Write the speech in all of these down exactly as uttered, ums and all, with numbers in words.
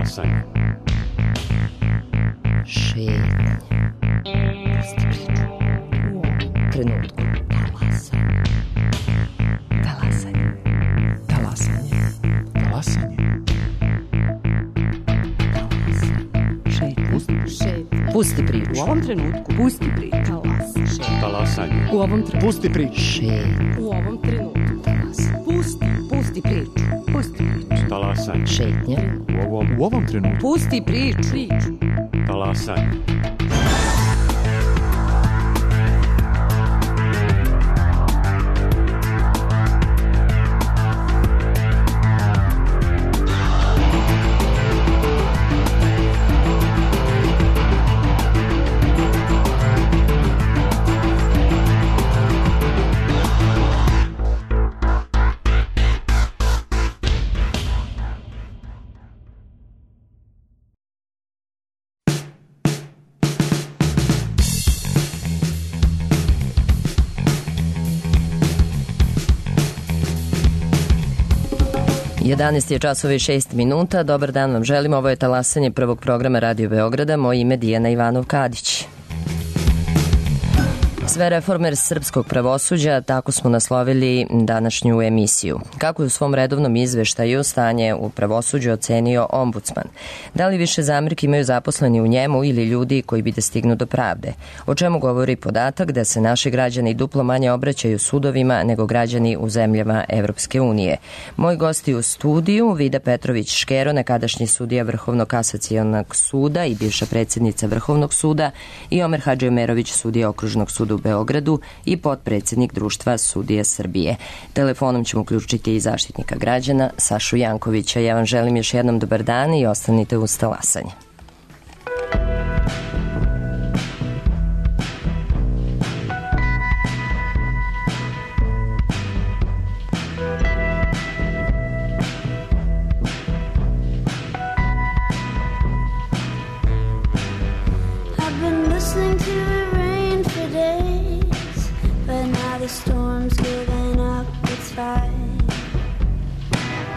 Talasanje. Šetnje. Pusti priču. U ovom trenutku. Talasanje. Talasanje. Talasanje. Talasanje. Šetnje. Pusti priču. U ovom trenutku. Pusti priču. Talasanje. U ovom trenutku. Pusti priču. Šetnje. U ovom trenutku. Talasanje. Pusti. Pusti priču. Pusti priču. Talasanje. Šetnje. U ovom, u ovom trenutku. Pusti priču. Priču. Talasanje. jedanaest je časova i šest minuta. Dobar dan vam želim. Ovo je talasanje prvog programa Radio Beograda. Moje ime je Dijana Ivanov-Kadić. Sve reforme srpskog pravosuđa, tako smo naslovili današnju emisiju. Kako je u svom redovnom izveštaju stanje u pravosuđu ocenio ombudsman? Da li više zamerki imaju zaposleni u njemu ili ljudi koji bi da stignu do pravde? O čemu govori podatak da se naši građani duplo manje obraćaju sudovima nego građani u zemljama Evropske unije? Moji gosti u studiju, Vida Petrović-Škero, nekadašnji sudija Vrhovnog kasacionog suda i bivša predsjednica Vrhovnog suda, i Omer Hadžiomerović, sudija Okružnog suda u Beogradu i potpredsjednik Društva sudija Srbije. Telefonom ćemo uključiti i zaštitnika građana Sašu Jankovića. Ja vam želim još jednom dobar dan i ostanite uz talasanje. The storm's given up its fight.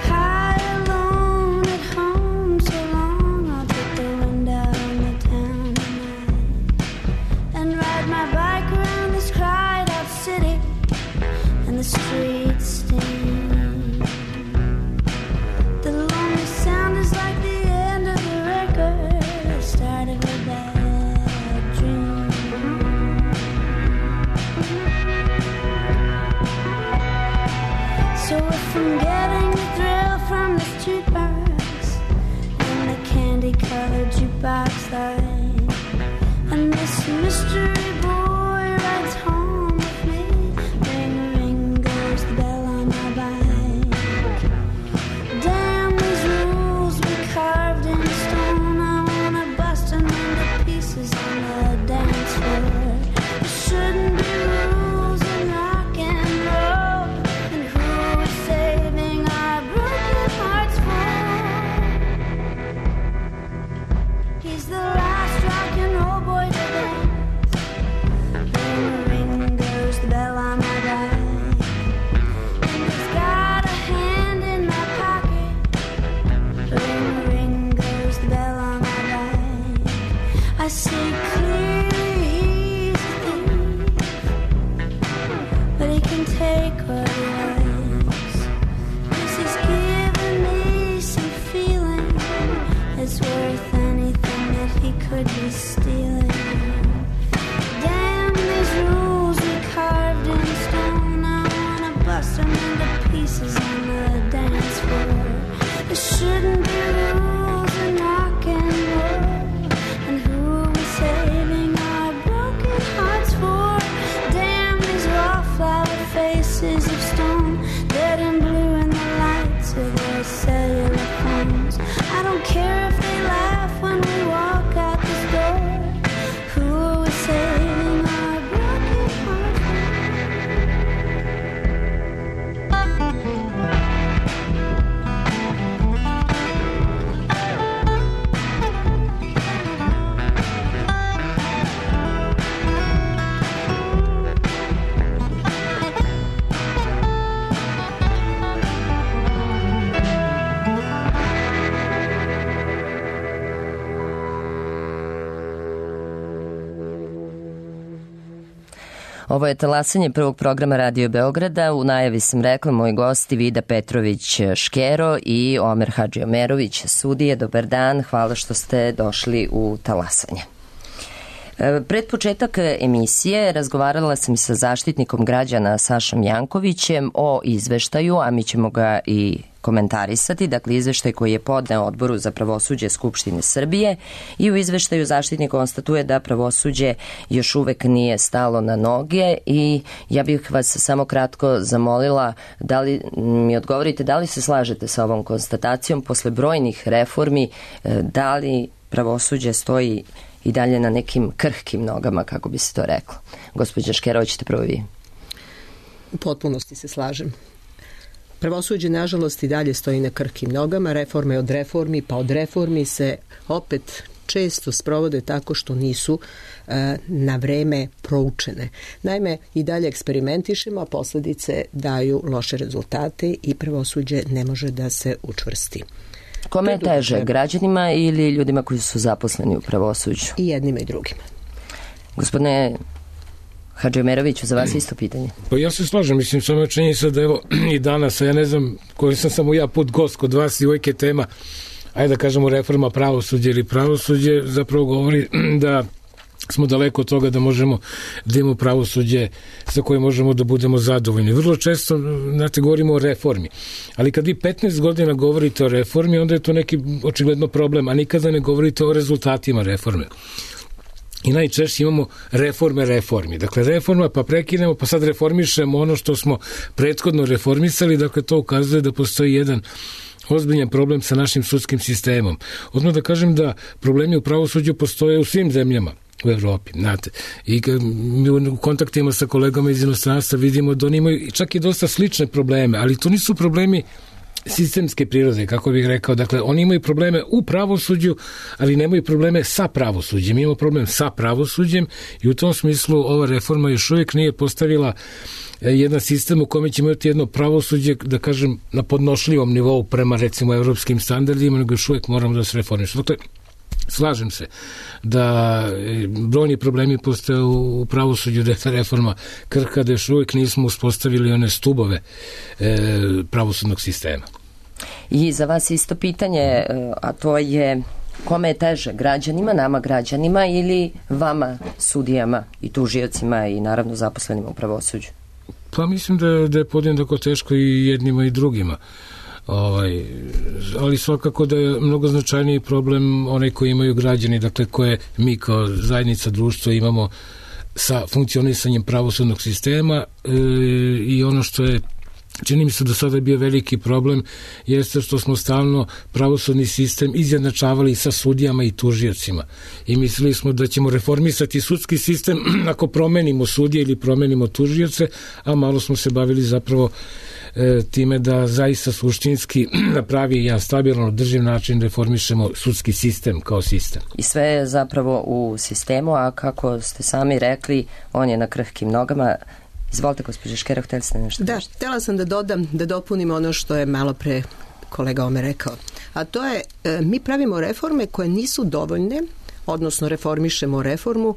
High alone at home so long, I'll take the wind out on the town tonight and ride my bike around this cried out city and the streets steam. The lonely sound is like the end of the record, the start of a bad dream. So if I'm getting the thrill from this jukebox and the candy-colored jukebox light, and this mystery boy rides home with me, ring, ring goes the bell on my bike. Damn these rules we carved in stone, I wanna bust them into pieces on the dance floor. There shouldn't be rules in rock and roll, and who is saving our broken hearts for? He's the last rock and roll boy to dance. Ring, ring goes the bell on my bike, and he's got a hand in my pocket. Ring, ring goes the bell on my bike. I see clearly he's a thief, but he can take what he likes, 'cause he's given me some feeling that's worth anything that he could be stealing. Damn these rules we carved in stone, I wanna bust them into pieces on the dance floor. There shouldn't be rules in rock and roll, and who are we saving our broken hearts for? Damn these wallflower faces of stone, red and blue in the lights of their cellular phones. I don't care if they laugh when we walk out this door. Who are we saving our broken hearts for? Ovo je talasanje prvog programa Radio Beograda. U najavi sam rekla moji gosti Vida Petrović-Škero i Omer Hadžiomerović, sudije. Dobar dan, hvala što ste došli u talasanje. Pred početak emisije razgovarala sam sa zaštitnikom građana Sašom Jankovićem o izveštaju, a mi ćemo ga i komentarisati, dakle izveštaj koji je podneo Odboru za pravosuđe Skupštine Srbije, i u izveštaju zaštitnik konstatuje da pravosuđe još uvek nije stalo na noge i ja bih vas samo kratko zamolila da li mi odgovorite da li se slažete sa ovom konstatacijom posle brojnih reformi, da li pravosuđe stoji i dalje na nekim krhkim nogama, kako bi se to reklo. Gospođa Škero, hoćete prvo vi? U potpunosti se slažem. Pravosuđe, nažalost, i dalje stoji na krhkim nogama, reforme od reformi, pa od reformi se opet često sprovode tako što nisu e, na vreme proučene. Naime, i dalje eksperimentišemo, a posledice daju loše rezultate i pravosuđe ne može da se učvrsti. Kome je teže, građanima ili ljudima koji su zaposleni u pravosuđu? I jednima i drugima. Gospodine Hadžiomeroviću, za vas isto pitanje. Pa ja se slažem, mislim, samo je činjenica da evo i danas, a ja ne znam koji sam samo ja put gost kod vas i uvijek je tema, ajde da kažemo reforma pravosuđa ili pravosuđe, zapravo govori da smo daleko od toga da možemo da imamo pravosuđe sa kojim možemo da budemo zadovoljni. Vrlo često, znate, govorimo o reformi, ali kad vi petnaest godina govorite o reformi, onda je to neki očigledno problem, a nikada ne govorite o rezultatima reforme. I najčešće imamo reforme reformi. Dakle, reforma, pa prekinemo, pa sad reformišemo ono što smo prethodno reformisali, dakle, to ukazuje da postoji jedan ozbiljan problem sa našim sudskim sistemom. Odmah da kažem da problemi u pravosuđu postoje u svim zemljama u Evropi, znate. I mi u kontaktima sa kolegama iz inostranstva vidimo da oni imaju čak i dosta slične probleme, ali to nisu problemi sistemske prirode, kako bih rekao. Dakle, oni imaju probleme u pravosuđu, ali nemaju probleme sa pravosuđem. Mi imamo problem sa pravosuđem i u tom smislu ova reforma još uvijek nije postavila jedan sistem u kome ćemo imati jedno pravosuđe, da kažem, na podnošljivom nivou prema, recimo, evropskim standardima, nego još uvijek moramo da se reformišemo. Dakle, slažem se da brojni problemi postoje u pravosuđu, da je ta reforma krhka, da još uvijek nismo uspostavili one stubove e, pravosudnog sistema. I za vas isto pitanje, a to je kome je teže, građanima, nama građanima ili vama, sudijama i tužiocima i naravno zaposlenima u pravosuđu? Pa mislim da, da je podjednako teško i jednima i drugima. Ovaj, ali svakako da je mnogo značajniji problem onaj koji imaju građani, dakle koje mi kao zajednica društva imamo sa funkcionisanjem pravosudnog sistema e, i ono što je, čini mi se do sada je bio veliki problem, jeste što smo stalno pravosudni sistem izjednačavali sa sudijama i tužiocima i mislili smo da ćemo reformisati sudski sistem ako promenimo sudije ili promenimo tužioce, a malo smo se bavili zapravo time da zaista suštinski na pravi i jedan stabilan održiv način reformišemo sudski sistem kao sistem. I sve je zapravo u sistemu, a kako ste sami rekli, on je na krhkim nogama. Izvolite, gospođa Škero, htjeli ste nešto? Da, htjela sam da dodam, da dopunim ono što je malo pre kolega Omer rekao. A to je, mi pravimo reforme koje nisu dovoljne, odnosno reformišemo reformu,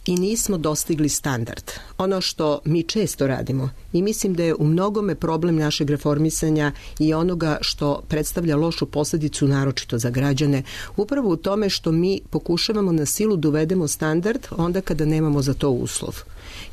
i nismo dostigli standard. Ono što mi često radimo i mislim da je u mnogome problem našeg reformisanja i onoga što predstavlja lošu posljedicu naročito za građane, upravo u tome što mi pokušavamo na silu da uvedemo standard onda kada nemamo za to uslov.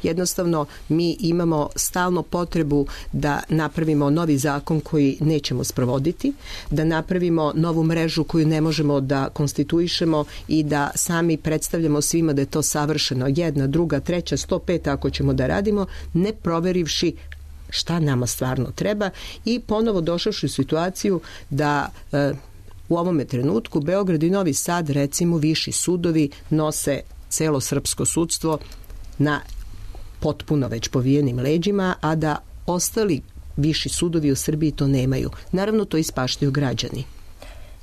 Jednostavno, mi imamo stalno potrebu da napravimo novi zakon koji nećemo sprovoditi, da napravimo novu mrežu koju ne možemo da konstituišemo i da sami predstavljamo svima da je to savršeno. Jedna, druga, treća, sto pet ako ćemo da radimo, ne proverivši šta nama stvarno treba i ponovo došavši u situaciju da e, u ovome trenutku Beograd i Novi Sad, recimo, viši sudovi nose celo srpsko sudstvo na potpuno već povijenim leđima, a da ostali viši sudovi u Srbiji to nemaju. Naravno, to ispaštaju građani.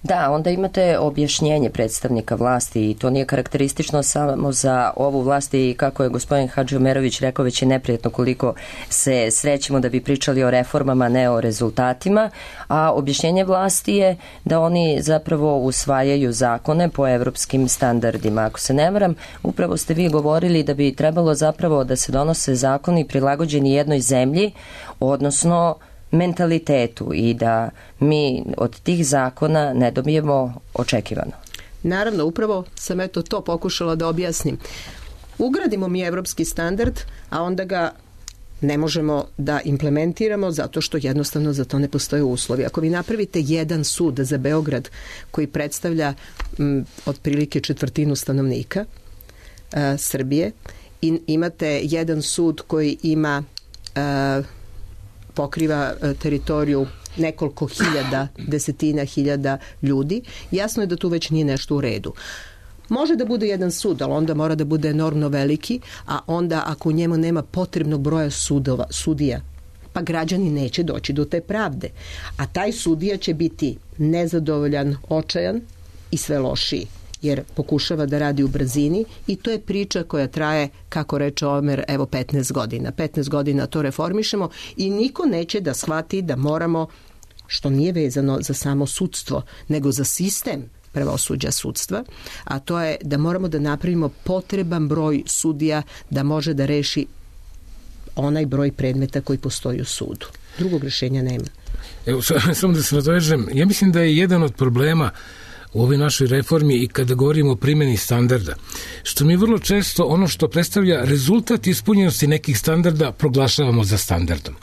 Da, onda imate objašnjenje predstavnika vlasti i to nije karakteristično samo za ovu vlast i kako je gospodin Hadži Omerović rekao, već je neprijatno koliko se srećemo da bi pričali o reformama, ne o rezultatima, a objašnjenje vlasti je da oni zapravo usvajaju zakone po evropskim standardima. Ako se ne varam, upravo ste vi govorili da bi trebalo zapravo da se donose zakoni prilagođeni jednoj zemlji, odnosno mentalitetu i da mi od tih zakona ne dobijemo očekivano. Naravno, upravo sam eto to pokušala da objasnim. Ugradimo mi evropski standard, a onda ga ne možemo da implementiramo zato što jednostavno za to ne postoje uslovi. Ako vi napravite jedan sud za Beograd koji predstavlja m, otprilike četvrtinu stanovnika a, Srbije i imate jedan sud koji ima a, pokriva teritoriju nekoliko hiljada, desetina hiljada ljudi, jasno je da tu već nije nešto u redu. Može da bude jedan sud, ali onda mora da bude enormno veliki, a onda ako u njemu nema potrebnog broja sudova, sudija, pa građani neće doći do te pravde. A taj sudija će biti nezadovoljan, očajan i sve lošiji, jer pokušava da radi u brzini i to je priča koja traje, kako reče Omer, evo petnaest godina. petnaest godina to reformišemo i niko neće da shvati da moramo, što nije vezano za samo sudstvo, nego za sistem pravosuđa sudstva, a to je da moramo da napravimo potreban broj sudija da može da reši onaj broj predmeta koji postoji u sudu. Drugog rešenja nema. Evo, samo da se nadovežem, ja mislim da je jedan od problema u ovoj našoj reformi i kada govorimo o primjeni standarda, što mi vrlo često ono što predstavlja rezultat ispunjenosti nekih standarda proglašavamo za standardom.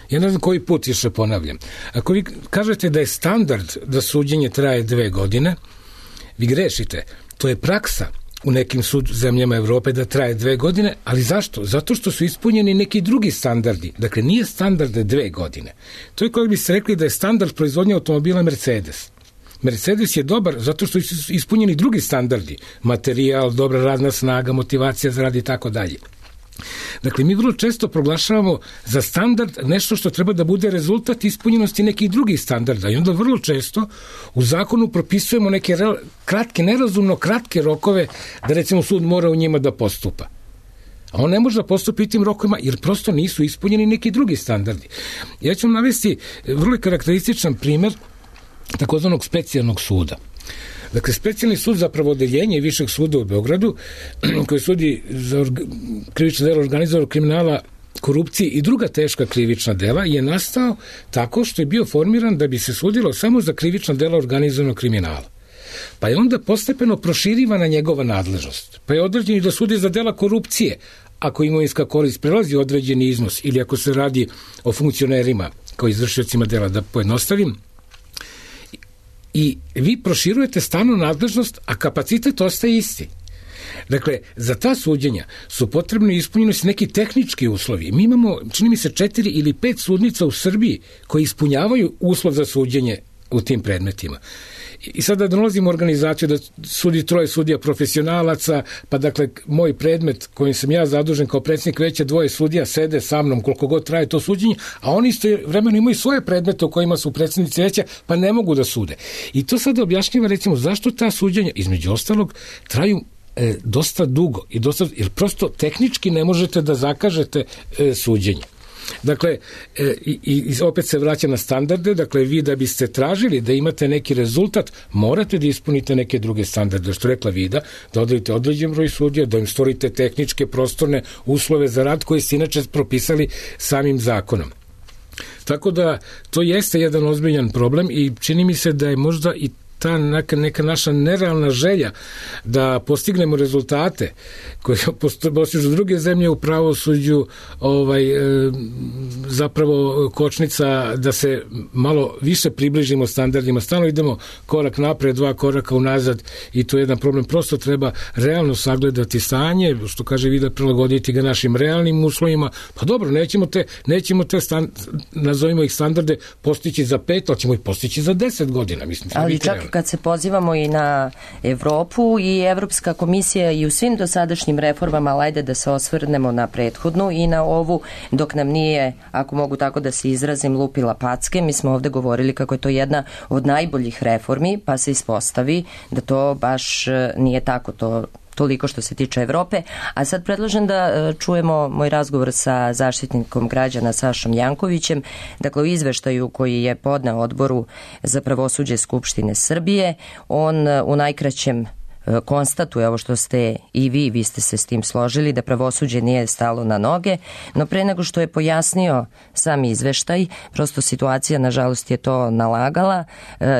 Ja ne znam koji put više ponavljam. Ako vi kažete da je standard da suđenje traje dve godine, vi grešite. To je praksa u nekim sud zemljama Evrope da traje dve godine, ali zašto? Zato što su ispunjeni neki drugi standardi. Dakle, nije standard dve godine. To je koji bi se rekli da je standard proizvodnje automobila Mercedes. Mercedes je dobar zato što su ispunjeni drugi standardi. Materijal, dobra radna snaga, motivacija za rad i tako dalje. Dakle, mi vrlo često proglašavamo za standard nešto što treba da bude rezultat ispunjenosti nekih drugih standarda i onda vrlo često u zakonu propisujemo neke kratke, nerazumno kratke rokove da recimo sud mora u njima da postupa. A on ne može da postupi tim rokovima jer prosto nisu ispunjeni neki drugi standardi. Ja ću vam navesti vrlo karakterističan primer takozvanog specijalnog suda. Dakle, specijalni sud za pravodeljenje Višeg suda u Beogradu, koji sudi za orga, krivično delo organizovanog kriminala, korupcije i druga teška krivična dela, je nastao tako što je bio formiran da bi se sudilo samo za krivična dela organizovanog kriminala. Pa je onda postepeno proširivana njegova nadležnost. Pa je određeni da sudi za dela korupcije, ako imovinska korist prelazi određeni iznos ili ako se radi o funkcionerima kao izvršiocima dela, da pojednostavim. I vi proširujete stalno nadležnost, a kapacitet ostaje isti. Dakle, za ta suđenja su potrebno ispunjenosti neki tehnički uslovi. Mi imamo, čini mi se, četiri ili pet sudnica u Srbiji koji ispunjavaju uslov za suđenje u tim predmetima. I sada dolazimo u organizaciju da sudi troje sudija profesionalaca, pa dakle, moj predmet kojim sam ja zadužen kao predsjednik veća, dvoje sudija sede sa mnom koliko god traje to suđenje, a oni isto vremeno imaju svoje predmete u kojima su predsjednici veća, pa ne mogu da sude. I to sada objašnjava, recimo, zašto ta suđenja, između ostalog, traju e, dosta dugo, i dosta, jer prosto tehnički ne možete da zakažete e, suđenje. Dakle, e, i, i opet se vraća na standarde, dakle vi da biste tražili da imate neki rezultat, morate da ispunite neke druge standarde, što rekla Vida, da odredite određen broj sudija, da im stvorite tehničke, prostorne uslove za rad koji ste inače propisali samim zakonom. Tako da to jeste jedan ozbiljan problem i čini mi se da je možda i ta neka, neka naša nerealna želja da postignemo rezultate koje postižu druge zemlje u pravosuđu, ovaj, e, zapravo kočnica da se malo više približimo standardima. Stalno idemo korak napred, dva koraka unazad i to je jedan problem. Prosto treba realno sagledati stanje, što kaže Vida, prilagoditi ga našim realnim uslovima. Pa dobro, nećemo te, nećemo te stand, nazovimo ih standarde postići za pet, ali ćemo ih postići za deset godina. Mislim, ali čak kad se pozivamo i na Evropu i Evropska komisija i u svim dosadašnjim reformama, ali ajde da se osvrnemo na prethodnu i na ovu, dok nam nije, ako mogu tako da se izrazim, lupila packe. Mi smo ovde govorili kako je to jedna od najboljih reformi, pa se ispostavi da to baš nije tako, to toliko što se tiče Evrope. A sad predlažem da čujemo moj razgovor sa zaštitnikom građana Sašom Jankovićem, dakle u izveštaju koji je podneo Odboru za pravosuđe Skupštine Srbije. On u najkraćem konstatuje ovo što ste i vi, vi ste se s tim složili, da pravosuđe nije stalo na noge, no pre nego što je pojasnio sam izveštaj, prosto situacija nažalost je to nalagala,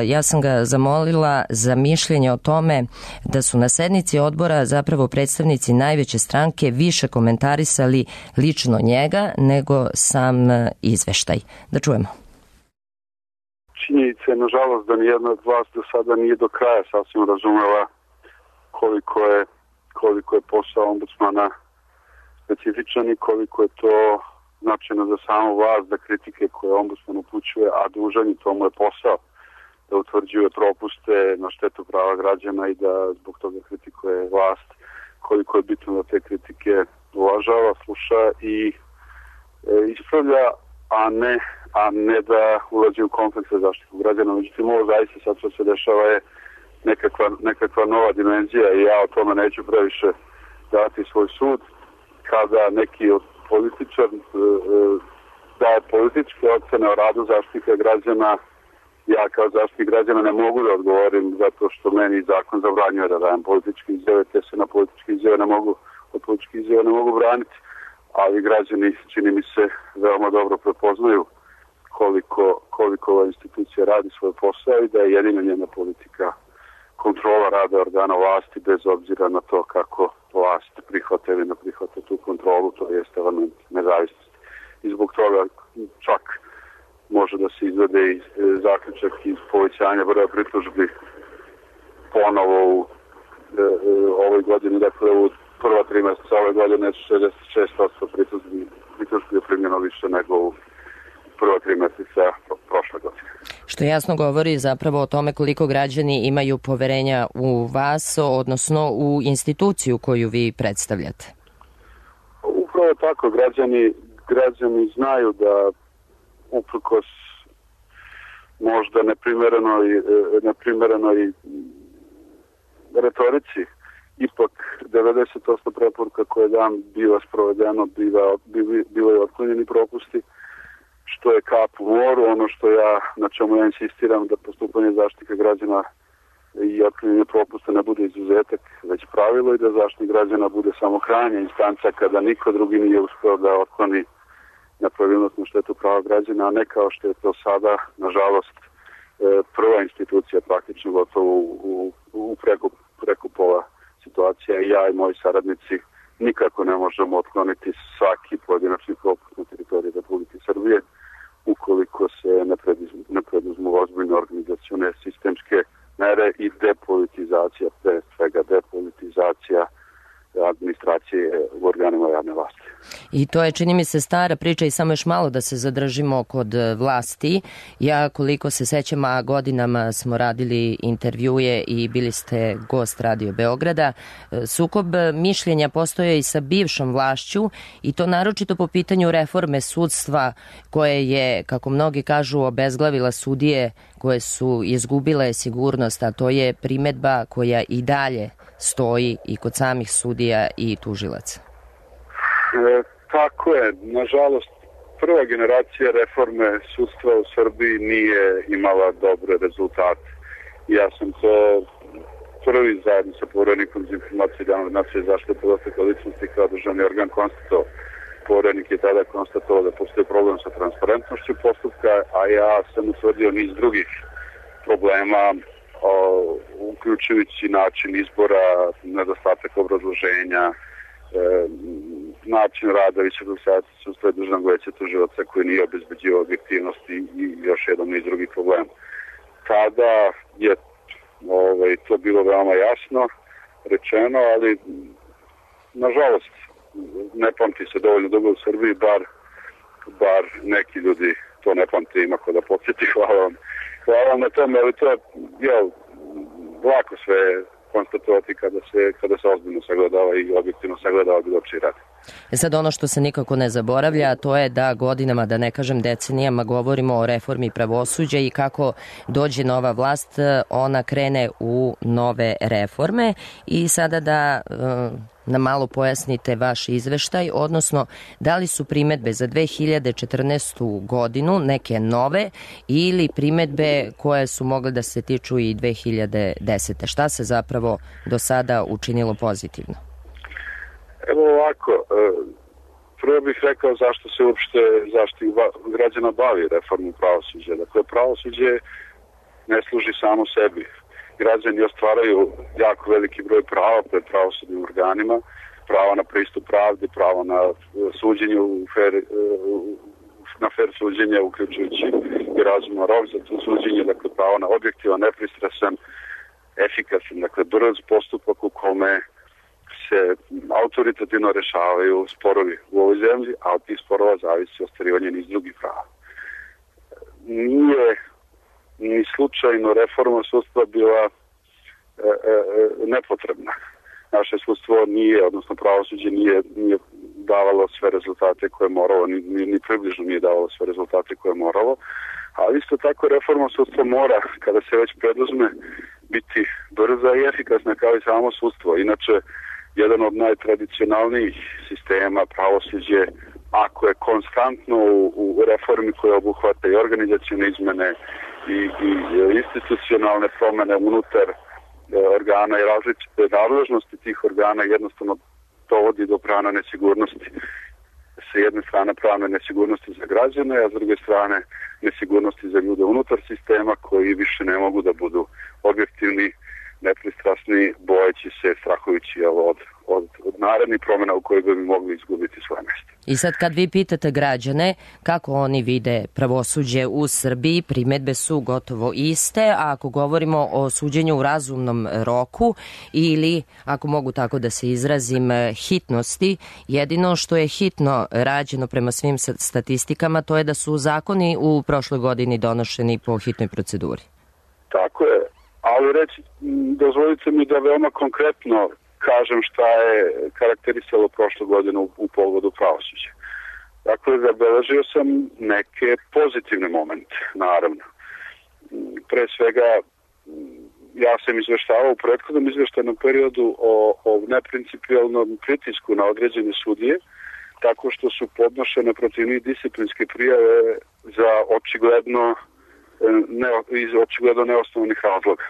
ja sam ga zamolila za mišljenje o tome da su na sednici odbora zapravo predstavnici najveće stranke više komentarisali lično njega nego sam izveštaj. Da čujemo. Činjenica je nažalost da nijedna od vas do sada nije do kraja sasvim razumela koliko je, koliko je posao ombudsmana specifičan i koliko je to značajno za samu vlast, da kritike koje ombudsman upućuje, a dužan i to mu je posao, da utvrđuje propuste na štetu prava građana i da zbog toga kritikuje vlast, koliko je bitno da te kritike uvažava, sluša i e, ispravlja, a ne, a ne da ulazi u konflikt sa zaštitom građana. Međutim, ovo zaista sad što se dešava je Nekakva, nekakva nova dimenzija i ja o tome neću previše dati svoj sud, kada neki od političar e, daje političke ocene o radu zaštitnika građana. Ja kao zaštitnik građana ne mogu da odgovorim zato što meni zakon zabranjuje da dajem političke izjave, te se na političke izjave ne mogu, od političke izjave ne mogu braniti, ali građani, čini mi se, veoma dobro prepoznaju koliko, koliko ova institucija radi svoj posao i da je jedina njena politika kontrola rada organa vlasti, bez obzira na to kako vlast prihvata ili ne prihvata tu kontrolu, to jest element nezavisnosti. I zbog toga čak može da se izvede i zaključak iz povećanja broja pritužbi ponovo u e, e, ovoj godini, dakle u prva tri meseca ove godine šezdeset šest posto pritužbi, pritužbi je primljeno više nego u prva tri meseca prošle godine. Što jasno govori zapravo o tome koliko građani imaju poverenja u vas, odnosno u instituciju koju vi predstavljate. Upravo tako, građani, građani znaju da uprkos možda neprimerenoj, neprimerenoj retorici, ipak devedeset posto preporuka koje dan biva sprovedeno, biva, biva, bivaju otklonjeni propusti, što je kap u moru. Ono što ja, na čemu ja insistiram, da postupanje zaštitnika građana i otklonjenje propusta ne bude izuzetak, već pravilo, i da zaštitnik građana bude samo krajnja instanca kada niko drugi nije uspeo da otkloni nepravilnost na štetu prava građana, a ne kao što je to sada, nažalost, prva institucija praktično gotovo u, u, u preko, preko pola situacija. I ja i moji saradnici nikako ne možemo otkloniti svaki pojedinačni propust na teritoriji Republike Srbije ukoliko se ne preduzmu, ne preduzmu ozbiljne organizacione sistemske mere i depolitizacija, pre svega depolitizacija administracije u organima javne vlasti. I to je, čini mi se, stara priča i samo još malo da se zadržimo kod vlasti. Ja, koliko se sećam, a godinama smo radili intervjue i bili ste gost Radio Beograda, sukob mišljenja postoje i sa bivšom vlašću i to naročito po pitanju reforme sudstva koje je, kako mnogi kažu, obezglavila sudije koje su izgubile sigurnost, a to je primedba koja i dalje stoji i kod samih sudija i tužilaca. E, tako je. Nažalost, prva generacija reforme sudstva u Srbiji nije imala dobre rezultate. Ja sam to prvi zajedno sa Poverenikom za informacije javne nacije zaštite podataka ličnosti kao državni organ konstatovao. Poverenik je tada konstatovao da postoji problem sa transparentnošću postupka, a ja sam utvrdio niz drugih problema, o, uključujući način izbora, nedostatak obrazloženja, e, način rada Visokog saveta sudstva i Državnog veća tužilaca koji nije obezbeđivao objektivnost i, i još jedan niz drugih problema. Tada je ovaj, to bilo veoma jasno rečeno, ali nažalost ne pamti se dovoljno dugo u Srbiji, bar, bar neki ljudi to ne pamti, ima ko da podsjeti. Hvala vam. Hvala vam na tome, ali to je, ja, lako sve konstatovati kada se, kada se ozbiljno sagledava i objektivno sagledava bilo čiji rad. E sad ono što se nikako ne zaboravlja, to je da godinama, da ne kažem decenijama, govorimo o reformi pravosuđa i kako dođe nova vlast, ona krene u nove reforme. I sada da e, nam malo pojasnite vaš izveštaj, odnosno da li su primetbe za dve hiljade četrnaestu godinu neke nove ili primetbe koje su mogle da se tiču i dve hiljade desete. Šta se zapravo do sada učinilo pozitivno? Evo ovako, prvo bih rekao zašto se uopšte zaštitnik građana bavi reformom pravosuđa. Dakle, pravosuđe ne služi samo sebi. Građani ostvaraju jako veliki broj prava pred pravosudnim organima, pravo na pristup pravdi, pravo na suđenje u fer, na fer suđenje, uključujući i razuman rok za to suđenje, dakle pravo na objektivan, nepristrasan, efikasan, dakle brz postupak u kome se autoritativno rešavaju sporovi u ovoj zemlji, a od tih sporova zavisi ostvarivanje niz drugih prava. Nije ni slučajno reforma sudstva bila e, e, nepotrebna. Naše sudstvo nije, odnosno pravosuđe nije, nije davalo sve rezultate koje je moralo, ni, ni, ni približno nije davalo sve rezultate koje je moralo, ali isto tako reforma sudstva mora, kada se već preduzme, biti brza i efikasna kao i samo sudstvo. Inače, jedan od najtradicionalnijih sistema pravosuđe, ako je konstantno u, u reformi koja obuhvata i organizacione izmene i, i institucionalne promene unutar e, organa i različite nadležnosti tih organa, jednostavno dovodi do pravne nesigurnosti. Sa jedne strane pravne nesigurnosti za građane, a s druge strane nesigurnosti za ljude unutar sistema koji više ne mogu da budu objektivni, nepristrasni, bojeći se, strahujući od, od, od narednih promjena u kojoj bi mogli izgubiti svoje mjesto. I sad kad vi pitate građane kako oni vide pravosuđe u Srbiji, primetbe su gotovo iste, a ako govorimo o suđenju u razumnom roku ili, ako mogu tako da se izrazim, hitnosti, jedino što je hitno rađeno prema svim statistikama, to je da su zakoni u prošloj godini donošeni po hitnoj proceduri. Tako je. Ali reći, dozvolite mi da veoma konkretno kažem šta je karakterisalo prošlu godinu u, u pogledu pravosuđa. Dakle, zabeležio sam neke pozitivne momente, naravno. Pre svega, ja sam izveštavao u prethodnom izveštajnom periodu o, o neprincipijalnom pritisku na određene sudije, tako što su podnošene protiv njih disciplinske prijave za očigledno Ne, iz očigledno neosnovanih razloga.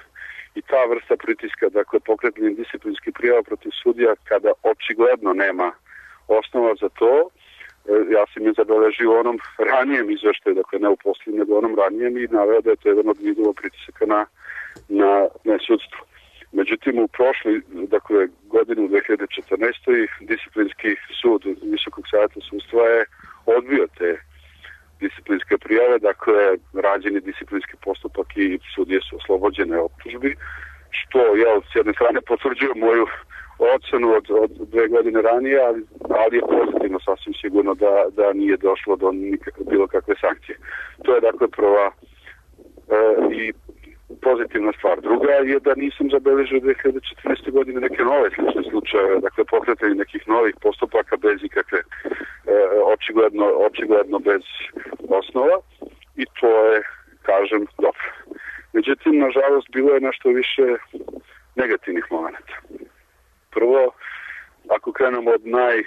I ta vrsta pritiska, dakle pokretanje disciplinskih prijava protiv sudija kada očigledno nema osnova za to, ja sam je zabeležio onom ranijem izveštaju, dakle ne u posljednjem, nego onom ranijem i naveo da je to jedan od vidova pritisaka na, na, na sudstvo. Međutim, u prošloj, dakle godinu dve hiljade četrnaeste. disciplinski sud Visokog savjeta sudstva je odbio te disciplinske prijave, dakle rađen je disciplinski postupak i sudije su oslobođene optužbi, što ja s jedne strane potvrđujem moju ocenu od, od dve godine ranije, ali, ali je pozitivno sasvim sigurno da, da nije došlo do nikakve, bilo kakve sankcije. To je dakle prva e, i pozitivna stvar. Druga je da nisam zabeležio dve hiljade četrnaeste. godine neke nove slične slučajeve, dakle pokretanje nekih novih postupaka bez ikakve e, očigledno, očigledno bez osnova i to je, kažem, dobro. Međutim, nažalost, bilo je nešto više negativnih momenta. Prvo, ako krenemo od naj, e,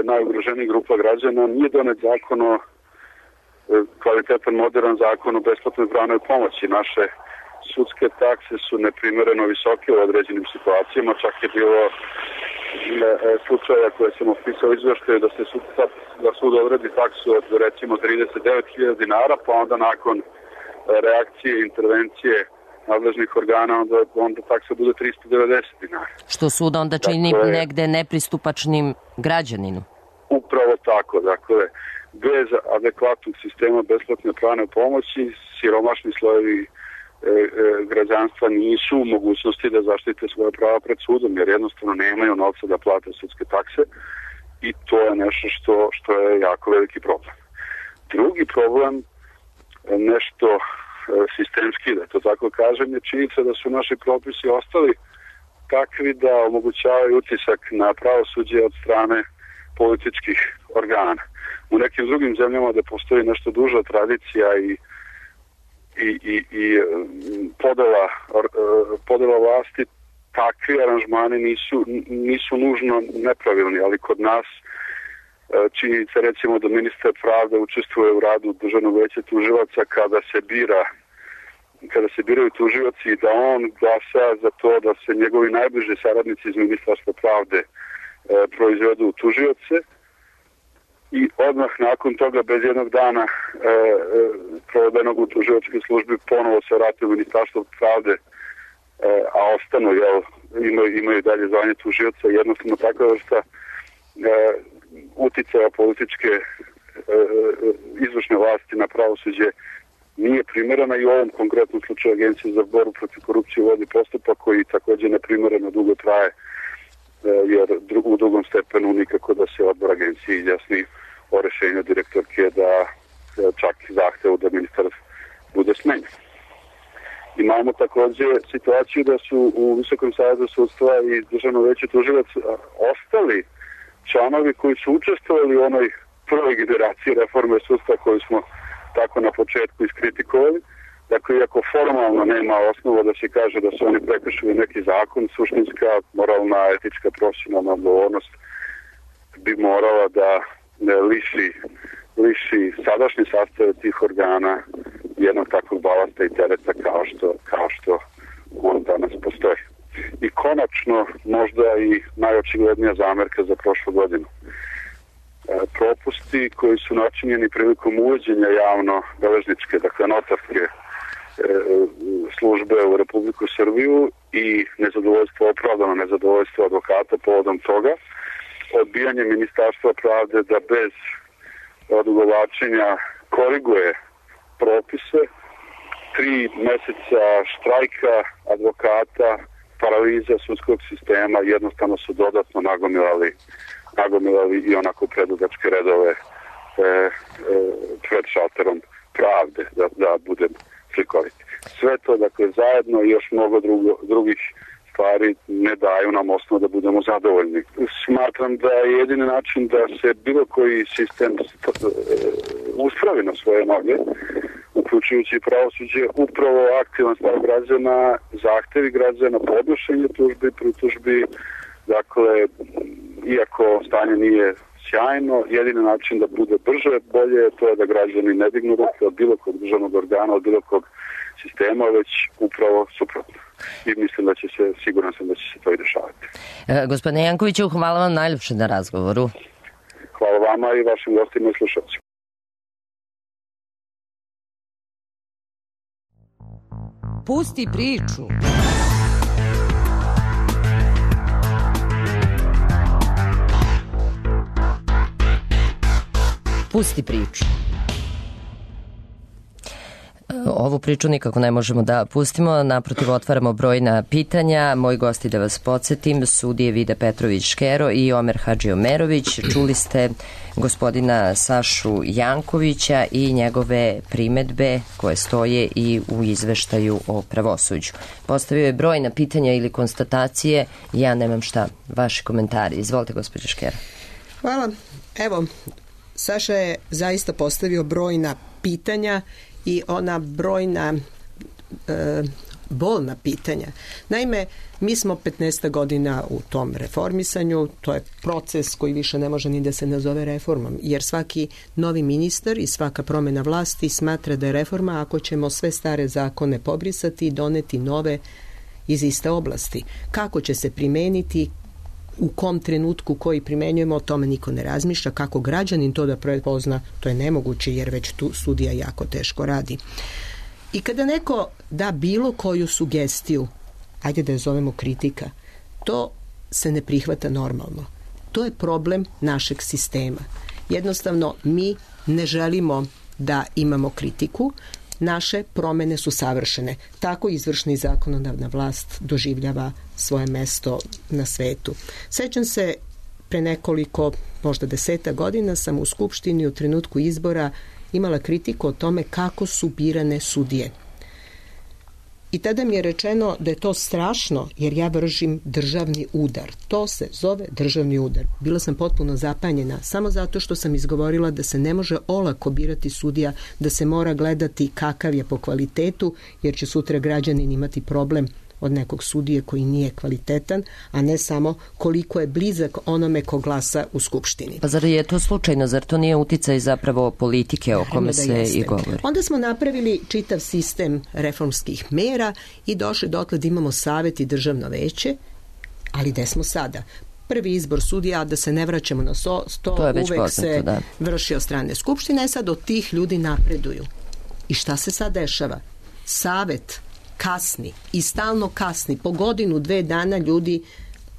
najugroženijih grupa građana, nije donet zakon o e, kvalitetan, modern zakon o besplatnoj pravnoj pomoći. Naše sudske takse su neprimereno visoke u određenim situacijama, čak je bilo e, slučaja koje sam opisao izveštaju da se sud, da sud odredi taksu od recimo trideset devet hiljada dinara, pa onda nakon reakcije i intervencije nadležnih organa onda, onda taksa bude tristo devedeset dinara. Što sud onda čini dakle, negde nepristupačnim građaninu? Upravo tako, dakle, bez adekvatnog sistema besplatne pravne pomoći, siromašni slojevi građanstva nisu u mogućnosti da zaštite svoje prava pred sudom, jer jednostavno nemaju novca da plate sudske takse i to je nešto što, što je jako veliki problem. Drugi problem, nešto sistemski, da to tako kažem, je činjenica da su naši propisi ostali takvi da omogućavaju utisak na pravosuđe od strane političkih organa. U nekim drugim zemljama da postoji nešto duža tradicija i i, i, i podela, podela vlasti, takvi aranžmani nisu, nisu nužno nepravilni, ali kod nas činjenica recimo da ministar pravde učestvuje u radu Državnog veća tužilaca kada se bira kada se biraju tužioci i da on glasa za to da se njegovi najbliži saradnici iz Ministarstva pravde e, proizvedu tužioce i odmah nakon toga bez jednog dana e, e, provedenog u tužilačkoj službi ponovo se vrati u Ministarstvo pravde, e, a ostanu, jel, imaju, imaju dalje zvanje tužioca. Jednostavno takva vrsta e, uticaja političke e, izvršne vlasti na pravosuđe nije primerena i u ovom konkretnom slučaju Agencija za borbu protiv korupcije vodi postupak koji također neprimereno dugo traje, jer u drugom stepenu nikako da se odbor agencije izjasni o rešenju direktorke da čak zahtevu da ministar bude smenjen. Imamo također situaciju da su u Visokom savetu sudstva i Državno veće tužilaca ostali članovi koji su učestvovali u onoj prvoj generaciji reforme sudstva koju smo tako na početku iskritikovali. Dakle, iako formalno nema osnova da se kaže da su oni prekršili neki zakon, suštinska, moralna, etička, profesionalna odgovornost bi morala da liši, liši sadašnji sastav tih organa jednog takvog balasta i tereta kao što, kao što on danas postoji. I konačno, možda i najočiglednija zamerka za prošlu godinu. Propusti koji su načinjeni prilikom uvođenja javno beležničke, dakle notarske e, službe u Republiku Srbiju i nezadovoljstvo, opravdano nezadovoljstvo advokata povodom toga, odbijanje Ministarstva pravde da bez odugovlačenja koriguje propise, tri meseca štrajka advokata, paraliza sudskog sistema jednostavno su dodatno nagomilali nagomilali i onako predugačke redove e, e, pred šalterom pravde, da, da budem slikovit. Sve to, dakle, zajedno i još mnogo drugo, drugih stvari ne daju nam osnovu da budemo zadovoljni. Smatram da je jedini način da se bilo koji sistem uspravi na svoje noge, uključujući pravosuđe, upravo aktivan stav građana, zahtevi građana, podnošenje tužbi, pritužbi. Dakle, iako stanje nije sjajno, jedini način da bude brže, bolje, to je da građani ne dignu ruke od bilo kog državnog organa, od bilo kog sistema, već upravo suprotno. I mislim da će se, siguran sam da će se to i dešavati. E, gospodine Jankoviću, hvala vam najljepše na razgovoru. Hvala vama i vašim gostima i slušalcima. Pusti priču. Pusti priču. Ovu priču nikako ne možemo da pustimo, naprotiv otvaramo brojna pitanja. Moji gosti, da vas podsjetim, sudije Vida Petrović-Škero i Omer Hadžiomerović. Čuli ste gospodina Sašu Jankovića i njegove primetbe koje stoje i u izveštaju o pravosuđu. Postavio je brojna pitanja ili konstatacije, ja nemam šta. Vaši komentari. Izvolite, gospođo Škero. Hvala. Evo, Saša je zaista postavio brojna pitanja i ona brojna e, bolna pitanja. Naime, mi smo petnaest godina u tom reformisanju, to je proces koji više ne može ni da se nazove reformom, jer svaki novi ministar i svaka promjena vlasti smatra da je reforma ako ćemo sve stare zakone pobrisati i doneti nove iz iste oblasti. Kako će se primeniti, u kom trenutku koji primenjujemo, o tome niko ne razmišlja. Kako građanin to da prepozna, to je nemoguće, jer već tu sudija jako teško radi. I kada neko da bilo koju sugestiju, ajde da je zovemo kritika, to se ne prihvata normalno. To je problem našeg sistema. Jednostavno, mi ne želimo da imamo kritiku, naše promene su savršene. Tako izvršna i zakonodavna vlast doživljava svoje mesto na svetu. Sećam se, pre nekoliko, možda deseta godina sam u Skupštini u trenutku izbora imala kritiku o tome kako su birane sudije. I tada mi je rečeno da je to strašno jer ja vršim državni udar. To se zove državni udar. Bila sam potpuno zapanjena samo zato što sam izgovorila da se ne može olako birati sudija, da se mora gledati kakav je po kvalitetu, jer će sutra građanin imati problem od nekog sudije koji nije kvalitetan, a ne samo koliko je blizak onome ko glasa u Skupštini. Pa zar je to slučajno? Zar to nije uticaj zapravo politike o kome Da se jeste. i govori? Onda smo napravili čitav sistem reformskih mera i došli dotle da imamo savet i državno veće, ali gde smo sada? Prvi izbor sudija, da se ne vraćamo na so, to, to uvek poznato, se da. vrši od strane Skupštine, sad od tih ljudi napreduju. I šta se sad dešava? Savet kasni i stalno kasni. Po godinu, dve dana ljudi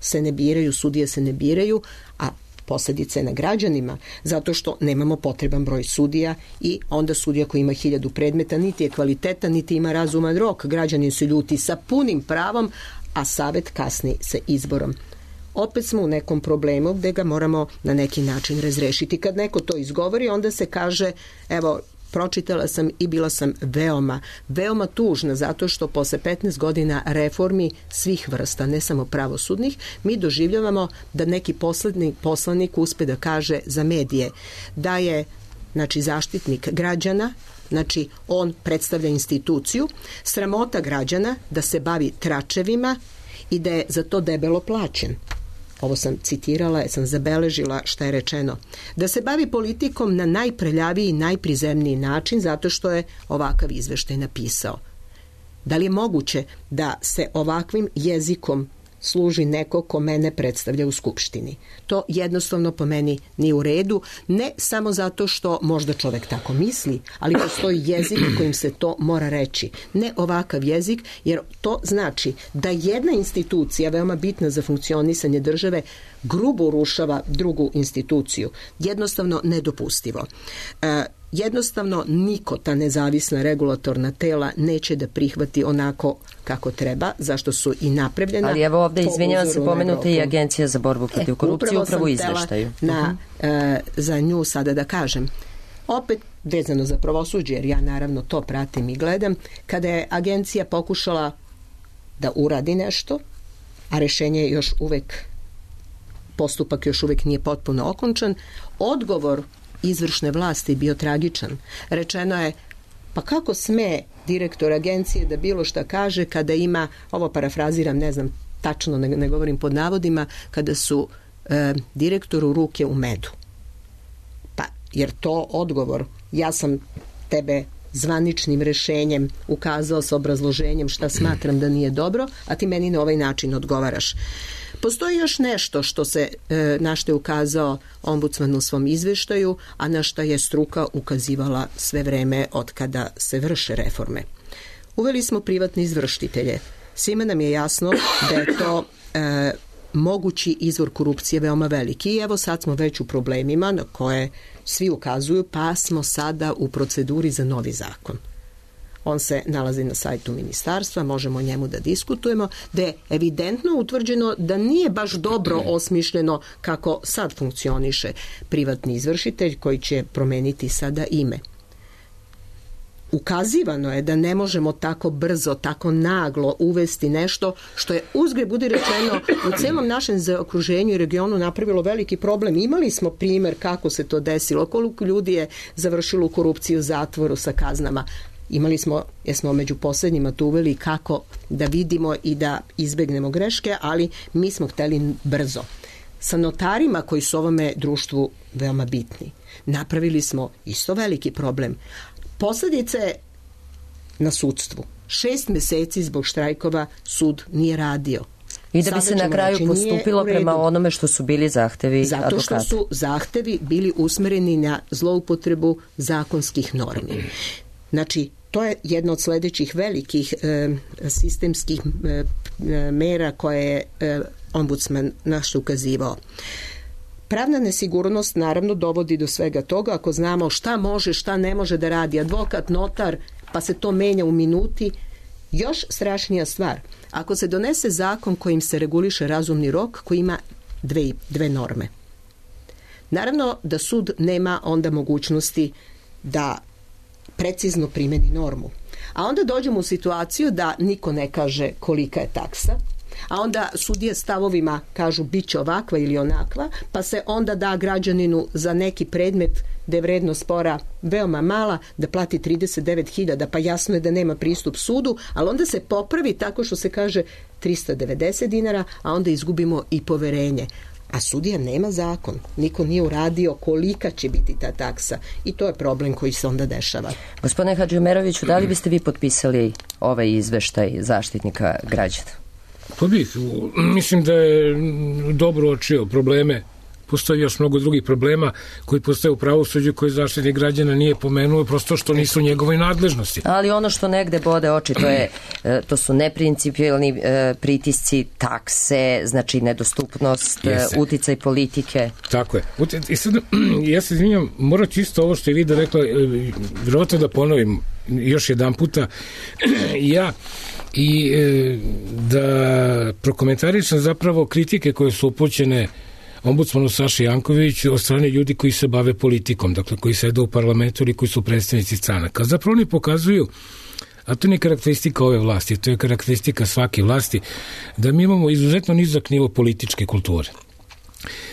se ne biraju, sudije se ne biraju, a posljedice je na građanima, zato što nemamo potreban broj sudija i onda sudija koji ima hiljadu predmeta niti je kvalitetan, niti ima razuman rok. Građanin se ljuti sa punim pravom, a savet kasni sa izborom. Opet smo u nekom problemu gde ga moramo na neki način razrešiti. Kad neko to izgovori, onda se kaže, evo, pročitala sam i bila sam veoma, veoma tužna zato što posle petnaest godina reformi svih vrsta, ne samo pravosudnih, mi doživljavamo da neki poslednji poslanik uspe da kaže za medije da je, znači, zaštitnik građana, znači on predstavlja instituciju, sramota građana da se bavi tračevima i da je za to debelo plaćen. Ovo sam citirala, jer sam zabeležila šta je rečeno. Da se bavi politikom na najprljaviji i najprizemniji način zato što je ovakav izveštaj napisao. Da li je moguće da se ovakvim jezikom služi neko ko mene predstavlja u Skupštini? To jednostavno po meni nije u redu, ne samo zato što možda čovek tako misli, ali postoji jezik kojim se to mora reći. Ne ovakav jezik, jer to znači da jedna institucija, veoma bitna za funkcionisanje države, grubo urušava drugu instituciju. Jednostavno nedopustivo. E, jednostavno niko ta nezavisna regulatorna tela neće da prihvati onako kako treba, zašto su i napravljena. Ali evo ovde, po izvinjavam se, uzoru na pomenuta i Evropu. Agencija za borbu protiv E, korupcije, upravo upravo u sam izveštaju. htela na, e, za nju sada da kažem. Opet vezano za pravosuđe, jer ja naravno to pratim i gledam, kada je agencija pokušala da uradi nešto, a rešenje je još uvek, postupak još uvek nije potpuno okončan, odgovor izvršne vlasti bio tragičan. Rečeno je, pa kako sme direktor agencije da bilo šta kaže kada ima, ovo parafraziram, ne znam tačno, ne, ne govorim pod navodima, kada su e, direktoru ruke u medu. Pa, jer to odgovor, ja sam tebe zvaničnim rešenjem ukazao sa obrazloženjem šta smatram da nije dobro, a ti meni na ovaj način odgovaraš. Postoji još nešto što se, e, na što je ukazao ombudsman u svom izveštaju, a na što je struka ukazivala sve vreme od kada se vrše reforme. Uveli smo privatne izvršitelje. Svima nam je jasno da je to e, mogući izvor korupcije veoma veliki i evo sad smo već u problemima na koje svi ukazuju, pa smo sada u proceduri za novi zakon. On se nalazi na sajtu ministarstva, možemo o njemu da diskutujemo, da je evidentno utvrđeno da nije baš dobro osmišljeno kako sad funkcioniše privatni izvršitelj koji će promeniti sada ime. Ukazivano je da ne možemo tako brzo, tako naglo uvesti nešto što je, uzgred budi rečeno, u celom našem zaokruženju i regionu napravilo veliki problem. Imali smo primer kako se to desilo, koliko ljudi je završilo u korupciju, zatvoru sa kaznama. Imali smo, jesmo među poslednjima tu uveli kako da vidimo i da izbegnemo greške, ali mi smo hteli brzo. Sa notarima koji su ovome društvu veoma bitni, napravili smo isto veliki problem. Posledice na sudstvu. Šest meseci zbog štrajkova sud nije radio. I da bi se na kraju postupilo prema onome što su bili zahtevi Zato advokata. što su zahtevi bili usmereni na zloupotrebu zakonskih normi. Znači, to je jedna od sledećih velikih e, sistemskih e, mera koje je e, ombudsman naš ukazivao. Pravna nesigurnost naravno dovodi do svega toga ako znamo šta može, šta ne može da radi advokat, notar, pa se to menja u minuti. Još strašnija stvar, ako se donese zakon kojim se reguliše razumni rok koji ima dve, dve norme. Naravno da sud nema onda mogućnosti da precizno primeni normu. A onda dođemo u situaciju da niko ne kaže kolika je taksa, a onda sudije stavovima kažu bit će ovakva ili onakva, pa se onda da građaninu za neki predmet da je vrednost spora veoma mala, da plati trideset devet hiljada, pa jasno je da nema pristup sudu, ali onda se popravi tako što se kaže trista devedeset dinara, a onda izgubimo i poverenje. A sudija nema zakon, niko nije uradio kolika će biti ta taksa i to je problem koji se onda dešava. Gospodine Hadžiomeroviću, da li biste vi potpisali ovaj izveštaj Zaštitnika građana? Pa bih, mislim da je dobro očio probleme. Postoji još mnogo drugih problema koji postoje u pravosuđu koji Zaštitnik građana nije pomenuo, prosto što nisu njegove nadležnosti. Ali ono što negde bode oči, to, je, to su neprincipijalni pritisci, takse, znači nedostupnost, Jeste. uticaj politike. Tako je. I sad, ja se izvinjam, moram čisto ovo što je Vida rekla, vjerovatno da ponovim još jedan puta, ja i da prokomentarišem zapravo kritike koje su upućene ombudsmanu Saši Jankoviću od strane ljudi koji se bave politikom, dakle koji sede u parlamentu ili koji su predstavnici stranaka. Zapravo oni pokazuju, a to nije karakteristika ove vlasti, to je karakteristika svake vlasti, da mi imamo izuzetno nizak nivo političke kulture.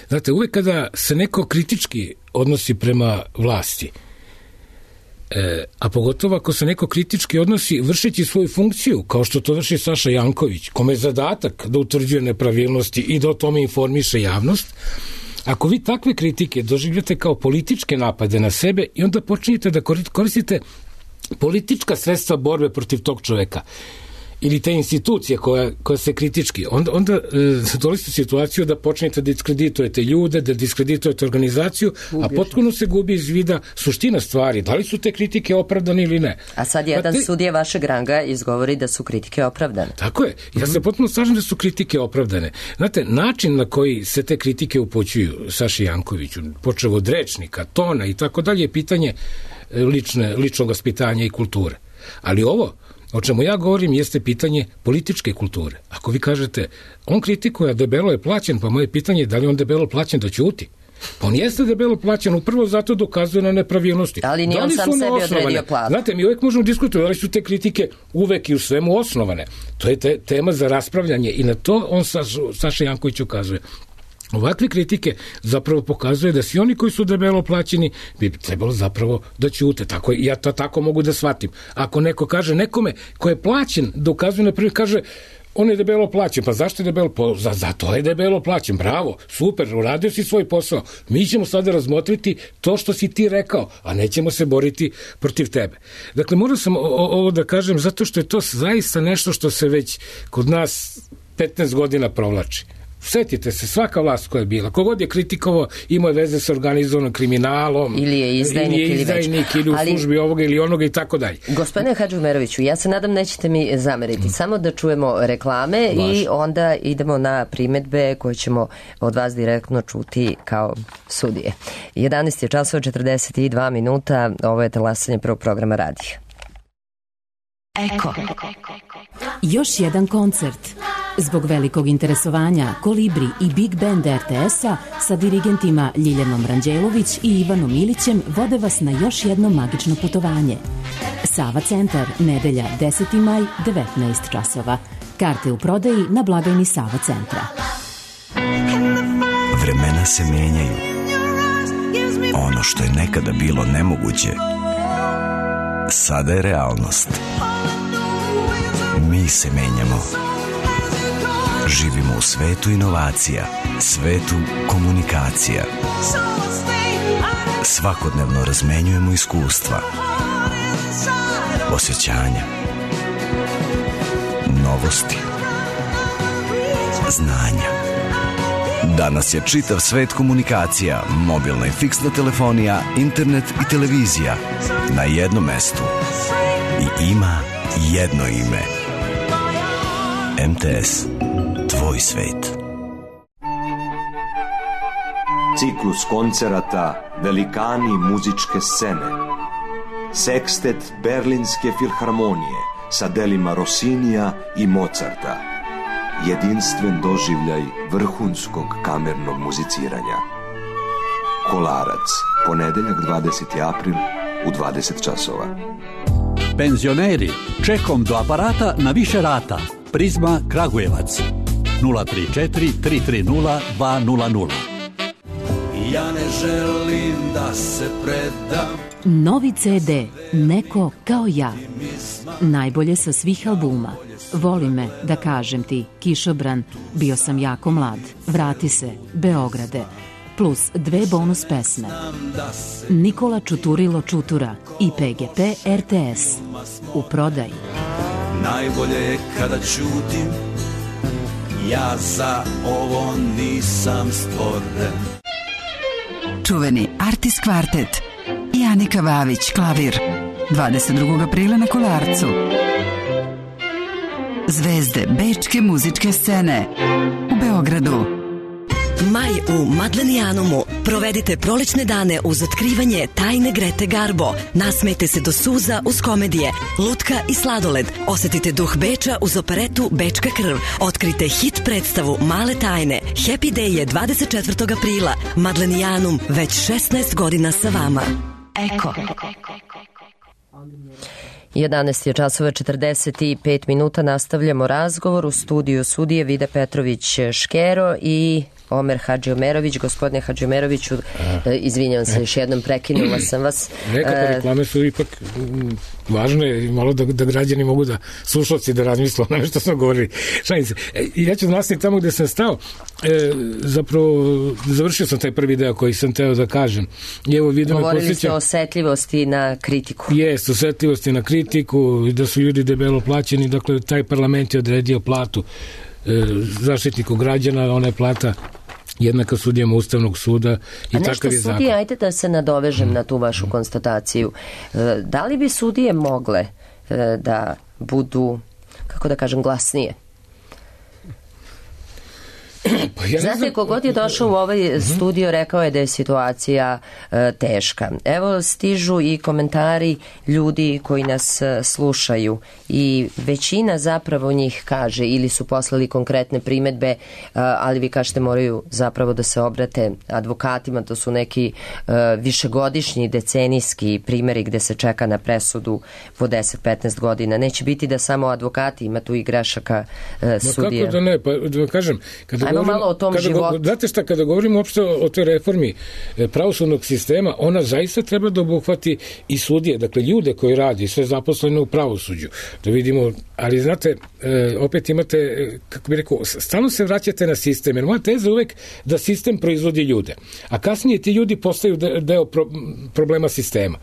Znate, uvek kada se neko kritički odnosi prema vlasti, E, a pogotovo ako se neko kritički odnosi vršeći svoju funkciju, kao što to vrši Saša Janković, kome je zadatak da utvrđuje nepravilnosti i da o tome informiše javnost, ako vi takve kritike doživljate kao političke napade na sebe i onda počinjete da koristite politička sredstva borbe protiv tog čoveka ili te institucije koja, koja se kritički, onda, onda e, dolazite u situaciju da počnete da diskreditujete ljude, da diskreditujete organizaciju, Ubježno. a potpuno se gubi iz vida suština stvari. Da li su te kritike opravdane ili ne? A sad jedan te... sudija vašeg ranga izgovori da su kritike opravdane. Tako je. Ja se potpuno slažem da su kritike opravdane. Znate, način na koji se te kritike upućuju Saši Jankoviću, počev od rečnika, tona i tako dalje, je pitanje lične, ličnog vaspitanja i kulture. Ali ovo o čemu ja govorim jeste pitanje političke kulture. Ako vi kažete, on kritikuje, debelo je plaćen, pa moje pitanje je da li on debelo plaćen da ćuti? Pa on jeste debelo plaćen, upravo zato dokazuje na nepravilnosti. Ali nije on sam sebi odredio platu. Znate, mi uvek možemo diskutovati, da li su te kritike uvek i u svemu osnovane. To je te, tema za raspravljanje i na to on Sa, Saša Janković ukazuje. Ovakve kritike zapravo pokazuje da svi oni koji su debelo plaćeni bi trebalo zapravo da ćute. Tako, ja to tako mogu da shvatim. Ako neko kaže nekome ko je plaćen, dokazuje na primjer, kaže on je debelo plaćen, pa zašto je debelo plaćen? Za, za to je debelo plaćen, bravo, super, uradio si svoj posao. Mi ćemo sada razmotriti to što si ti rekao, a nećemo se boriti protiv tebe. Dakle, moram sam ovo da kažem zato što je to zaista nešto što se već kod nas petnaest godina provlači. Setite se, svaka vlast koja je bila, kogod je kritikovao, imao je veze sa organizovanim kriminalom, ili je izdajnik, ili, je izdajnik, ili, ili u ali, službi ovoga ili onoga i tako dalje. Gospodine Hadžiomeroviću, ja se nadam nećete mi zameriti, mm. samo da čujemo reklame Vaš. i onda idemo na primedbe koje ćemo od vas direktno čuti kao sudije. jedanaest je časova četrdeset dva minuta, ovo je talasanje prvog programa radija. Eko. Još jedan koncert. Zbog velikog interesovanja Kolibri i Big Band er te es-a sa dirigentima Ljiljanom Ranđelović i Ivanom Ilićem vode vas na još jedno magično putovanje. Sava centar, nedelja deseti maj, devetnaest časova. Karte u prodaji na blagajni Sava centra. Vremena se menjaju. Ono što je nekada bilo nemoguće, sada je realnost. Mi se menjamo. Živimo u svetu inovacija, svetu komunikacija. Svakodnevno razmenjujemo iskustva, osjećanja, novosti, znanja. Danas je čitav svet komunikacija, mobilna i fiksna telefonija, internet i televizija na jednom mestu. I ima jedno ime. em te es. Tvoj svet. Ciklus koncerata Velikani muzičke scene. Sekstet Berlinske filharmonije sa delima Rossinija i Mozarta. Jedinstven doživljaj vrhunskog kamernog muziciranja. Kolarac, ponedeljak dvadeseti april u dvadeset časova. Penzioneri, čekom do aparata na više rata. Prizma Kragujevac. nula tri četiri tri tri nula dva nula nula. Ja ne želim da se predam. Novi ce de Neko kao ja. Najbolje sa svih albuma. Voli me, da kažem ti, Kišobran, Bio sam jako mlad, Vrati se, Beograde, plus dve bonus pesme. Nikola Čuturilo Čutura i pe ge pe er te es. U prodaji. Najbolje je kada ćutim, ja za ovo nisam stvoren. Čuveni Artis kvartet i Anika Vavić, klavir, dvadeset drugog aprila na Kolarcu. Zvezde bečke muzičke scene u Beogradu. Maj u Madlenijanumu. Provedite prolećne dane uz otkrivanje tajne Grete Garbo. Nasmejte se do suza uz komedije, lutka i sladoled. Osetite duh Beča uz operetu Bečka krv. Otkrite hit predstavu Male tajne. Happy Day je dvadeset četvrtog aprila. Madlenijanum, već šesnaest godina sa vama. Eko. jedanaest je časova četrdeset pet minuta. Nastavljamo razgovor u studiju sudije Vida Petrović Škero i Omer Hadžiomerović. Gospodine Hadžiomeroviću, izvinjavam se, još jednom prekinula sam vas. Nekako reklame su ipak važne i malo da, da građani mogu da, slušalci da razmisle o što smo govorili. Šalim se. Ja ću nastaviti tamo gde sam stao. E, zapravo, završio sam taj prvi deo koji sam teo da kažem. I evo, vidim, govorili posjeća... ste o osetljivosti na kritiku. Jest, osetljivosti na kritiku, da su ljudi debelo plaćeni, dakle, taj parlament je odredio platu e, zaštitniku građana, ona je plata jednaka sudijama Ustavnog suda i takav je zakon. A nešto sudije, ajte da se nadovežem hmm. na tu vašu konstataciju. Da li bi sudije mogle da budu, kako da kažem, glasnije? Pa ja Znate, znam... kogod je došao u ovaj studio rekao je da je situacija e, teška. Evo stižu i komentari ljudi koji nas e, slušaju i većina zapravo njih kaže ili su poslali konkretne primetbe, e, ali vi kažete moraju zapravo da se obrate advokatima, to su neki e, višegodišnji decenijski primjeri gde se čeka na presudu po deset do petnaest godina. Neće biti da samo advokati, ima tu i grešaka e, sudija. Ma kako da ne, pa da kažem, kada Ajmo malo o tom kada životu. Go, znate šta, kada govorimo uopšte o, o toj reformi pravosudnog sistema, ona zaista treba da obuhvati i sudije, dakle ljude koji radi, sve zaposlene u pravosuđu. Da vidimo, ali znate, e, opet imate, kako bih rekao, stalno se vraćate na sistem, jer moja teza je uvek da sistem proizvodi ljude, a kasnije ti ljudi postaju deo pro, problema sistema.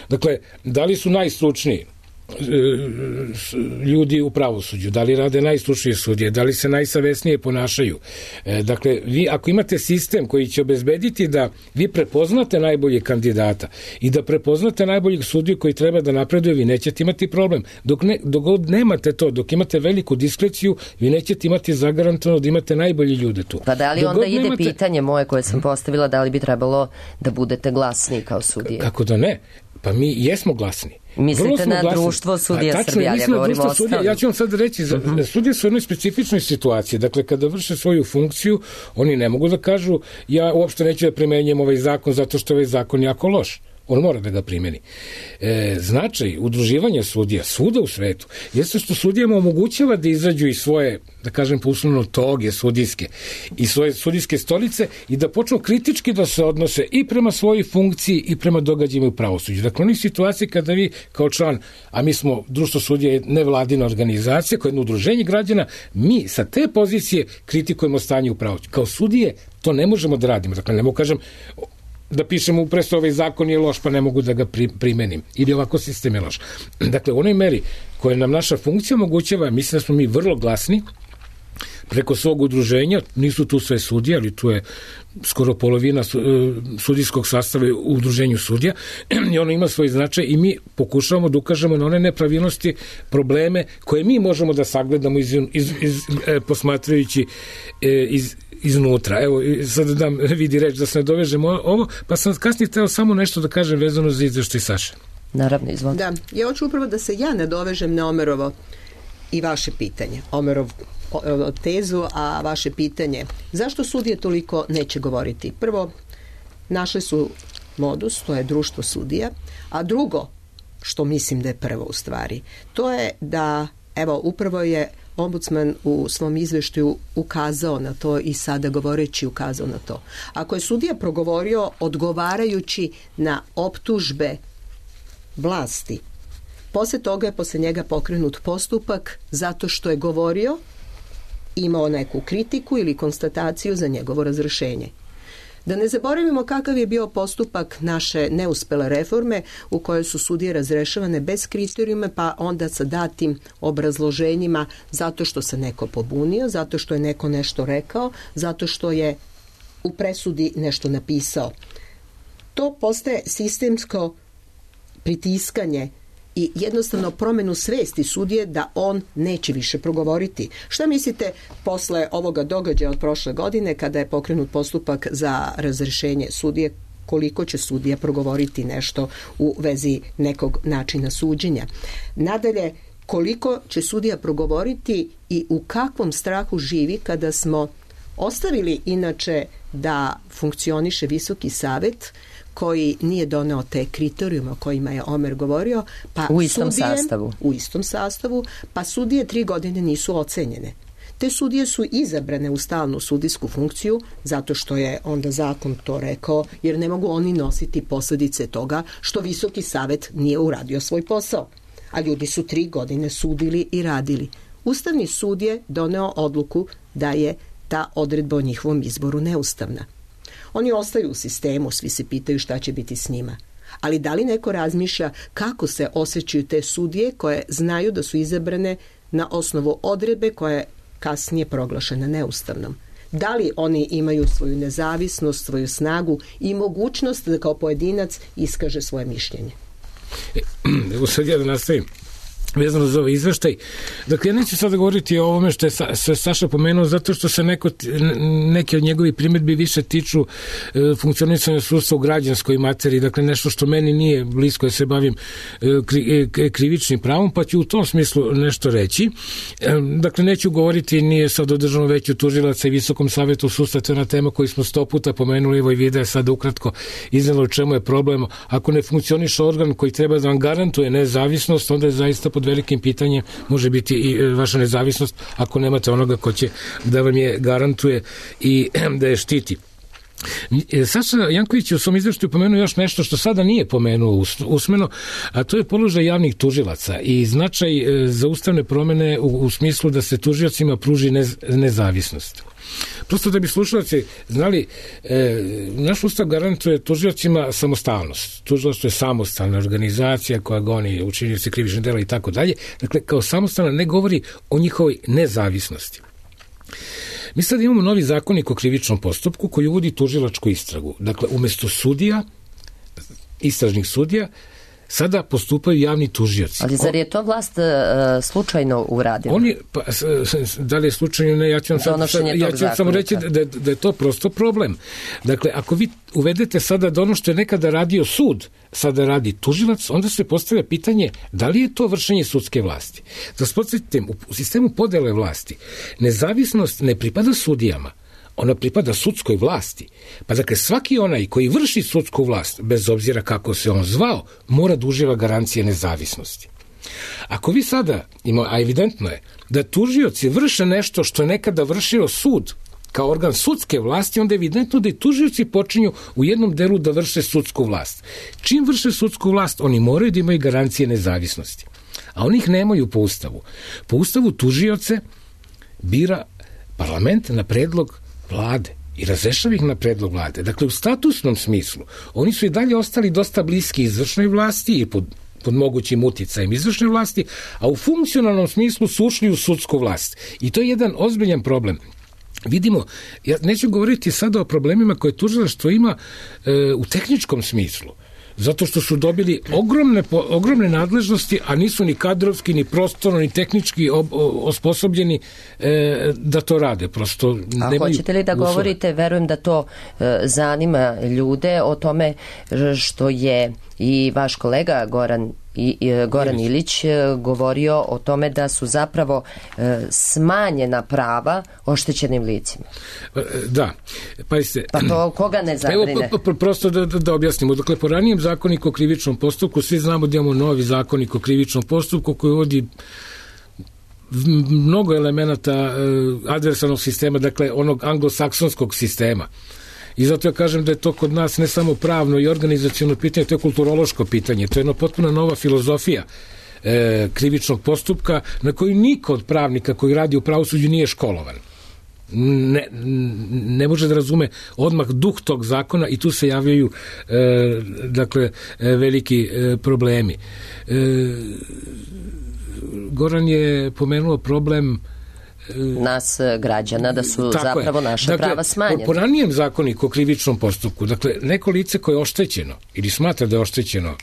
Dakle, da li su najstručniji ljudi u pravosuđu, da li rade najstručnije sudije, da li se najsavesnije ponašaju. E, dakle, vi ako imate sistem koji će obezbediti da vi prepoznate najboljeg kandidata i da prepoznate najboljeg sudiju koji treba da napreduje, vi nećete imati problem. Dok, ne, dok god nemate to, dok imate veliku diskreciju, vi nećete imati zagarantovano da imate najbolji ljude tu. Pa da li dok onda ide nemate... pitanje moje koje sam postavila, da li bi trebalo da budete glasni kao sudije? Kako da ne? Pa mi jesmo glasni. Mislite na glasni. Društvo sudija Srbije, ali ja govorim o sudija. Ja ću vam sad reći, uh-huh. sudije su u jednoj specifičnoj situaciji. Dakle, kada vrše svoju funkciju, oni ne mogu da kažu ja uopšte neću da primenjujem ovaj zakon zato što ovaj zakon jako loš. On mora da ga primeni. E, značaj udruživanja sudija svuda u svetu jeste što sudijama omogućava da izađu iz svoje, da kažem poslovno, toge sudijske i svoje sudijske stolice i da počnu kritički da se odnose i prema svojoj funkciji i prema događajima u pravosuđu. Dakle, oni situacije kada vi kao član, a mi smo društvo sudija nevladina organizacija koja je jedno udruženje građana, mi sa te pozicije kritikujemo stanje u pravosuđu. Kao sudije to ne možemo da radimo. Dakle, ne mogu kažem da pišemo upresto ovaj zakon je loš pa ne mogu da ga primenim ili ovako sistem je loš. Dakle, u onoj meri koje nam naša funkcija omogućava, mislim da smo mi vrlo glasni preko svog udruženja, nisu tu sve sudije, ali tu je skoro polovina sudijskog sastava u udruženju sudija i ono ima svoj značaj i mi pokušavamo da ukažemo na one nepravilnosti, probleme koje mi možemo da sagledamo iz, iz, iz, posmatrajući iz iznutra. Evo, sad dam vidi reč da se ne dovežemo ovo, pa sam kasnije hteo samo nešto da kažem vezano za izveštaj Saše. Naravno, izvolite. Da, ja hoću upravo da se ja ne dovežem na Omerovo i vaše pitanje. Omerov tezu, a vaše pitanje. Zašto sudije toliko neće govoriti? Prvo, našle su modus, to je društvo sudija, a drugo, što mislim da je prvo u stvari, to je da, evo, upravo je ombudsman u svom izveštaju ukazao na to i sada govoreći ukazao na to. Ako je sudija progovorio odgovarajući na optužbe vlasti, posle toga je posle njega pokrenut postupak zato što je govorio, imao neku kritiku ili konstataciju za njegovo razrešenje. Da ne zaboravimo kakav je bio postupak naše neuspele reforme u kojoj su sudije razrešavane bez kriterijuma, pa onda sa datim obrazloženjima zato što se neko pobunio, zato što je neko nešto rekao, zato što je u presudi nešto napisao. To postaje sistemsko pritiskanje i jednostavno promenu svesti sudije da on neće više progovoriti. Šta mislite posle ovoga događaja od prošle godine kada je pokrenut postupak za razrešenje sudije, koliko će sudija progovoriti nešto u vezi nekog načina suđenja? Nadalje, koliko će sudija progovoriti i u kakvom strahu živi kada smo ostavili inače da funkcioniše Visoki savet koji nije doneo te kriterijume o kojima je Omer govorio, pa u istom sudije, sastavu. U istom sastavu, pa sudije tri godine nisu ocenjene. Te sudije su izabrane u stalnu sudijsku funkciju zato što je onda zakon to rekao, jer ne mogu oni nositi posljedice toga što Visoki savet nije uradio svoj posao. A ljudi su tri godine sudili i radili. Ustavni sud je doneo odluku da je ta odredba o njihovom izboru neustavna. Oni ostaju u sistemu, svi se pitaju šta će biti s njima. Ali da li neko razmišlja kako se osjećaju te sudije koje znaju da su izabrane na osnovu odredbe koja je kasnije proglašena neustavnom? Da li oni imaju svoju nezavisnost, svoju snagu i mogućnost da kao pojedinac iskaže svoje mišljenje? Evo sad ja da nastavim vezano za ovaj izveštaj. Dakle, ja neću sada govoriti o ovome što je, Sa, što je Saša pomenuo, zato što se neko, neke od njegovih primjedbi više tiču e, funkcionisanja sudstva u građanskoj materiji, dakle nešto što meni nije blisko, ja se bavim e, kri, e, krivičnim pravom, pa ću u tom smislu nešto reći. E, dakle, neću govoriti nije sad o Državnom veću tužilaca i Visokom savetu sudstva, to je na tema koju smo sto puta pomenuli, evo i video sad ukratko iznelo o čemu je problem. Ako ne funkcioniše organ koji treba da vam garantuje nezavisnost, onda je zaista pod velikim pitanjem može biti i vaša nezavisnost ako nemate onoga ko će da vam je garantuje i da je štiti. Saša Janković je u svom izveštaju pomenuo još nešto što sada nije pomenuo usmeno, a to je položaj javnih tužilaca i značaj za ustavne promene u, u smislu da se tužiocima pruži nez, nezavisnost. Prosto da bi slušalci znali, e, naš ustav garantuje tužiocima samostalnost. Tužilaštvo je samostalna organizacija koja goni učinioce krivičnih dela i tako dalje. Dakle, kao samostalna ne govori o njihovoj nezavisnosti. Mi sad imamo novi zakonik o krivičnom postupku koji uvodi tužilačku istragu. Dakle, umesto sudija, istražnih sudija, sada postupaju javni tužioci. Ali zar je to vlast uh, slučajno uradila? Oni, pa, da li je slučajno, ne, ja ću vam, sad, sad, ja ću vam samo reći da, da, da je to prosto problem. Dakle, ako vi uvedete sada da ono što je nekada radio sud, sada radi tužilac, onda se postavlja pitanje da li je to vršenje sudske vlasti. Da se podsjetim, u sistemu podele vlasti, nezavisnost ne pripada sudijama, ona pripada sudskoj vlasti. Pa dakle, svaki onaj koji vrši sudsku vlast, bez obzira kako se on zvao, mora da uživa garancije nezavisnosti. Ako vi sada, ima, a evidentno je, da tužioci vrše nešto što je nekada vršio sud, kao organ sudske vlasti, onda je evidentno da i tužioci počinju u jednom delu da vrše sudsku vlast. Čim vrše sudsku vlast, oni moraju da imaju garancije nezavisnosti. A oni ih nemaju po ustavu. Po ustavu tužioce bira parlament na predlog vlade i razrešava ih na predlog vlade. Dakle, u statusnom smislu, oni su i dalje ostali dosta bliski izvršnoj vlasti i pod, pod mogućim uticajem izvršne vlasti, a u funkcionalnom smislu su ušli u sudsku vlast. I to je jedan ozbiljan problem. Vidimo, ja neću govoriti sada o problemima koje tužilaštvo ima e, u tehničkom smislu, zato što su dobili ogromne, ogromne nadležnosti, a nisu ni kadrovski, ni prostorno, ni tehnički ob, osposobljeni e, da to rade. Prosto a nemaju hoćete li da uslova. Govorite, verujem da to e, zanima ljude o tome što je i vaš kolega Goran i, i Goran Ilić govorio o tome da su zapravo e, smanjena prava oštećenim licima. Da, pa jeste... Pa to koga ne zabrine? Evo, prosto da, da, da objasnimo. Dakle, po ranijem zakoniku o krivičnom postupku, svi znamo da imamo novi zakonik o krivičnom postupku koji uvodi mnogo elemenata e, adversarnog sistema, dakle, onog anglosaksonskog sistema. I zato ja kažem da je to kod nas ne samo pravno i organizaciono pitanje, to je kulturološko pitanje, to je jedna potpuno nova filozofija e, krivičnog postupka na koju niko od pravnika koji radi u pravosuđu nije školovan. Ne, ne može da razume odmah duh tog zakona i tu se javljaju e, dakle e, veliki e, problemi. E, Goran je pomenuo problem nas građana, da su Tako zapravo je. naša dakle, prava smanjena. Po, po ranijem zakoniku o krivičnom postupku, dakle, neko lice koje je oštećeno ili smatra da je oštećeno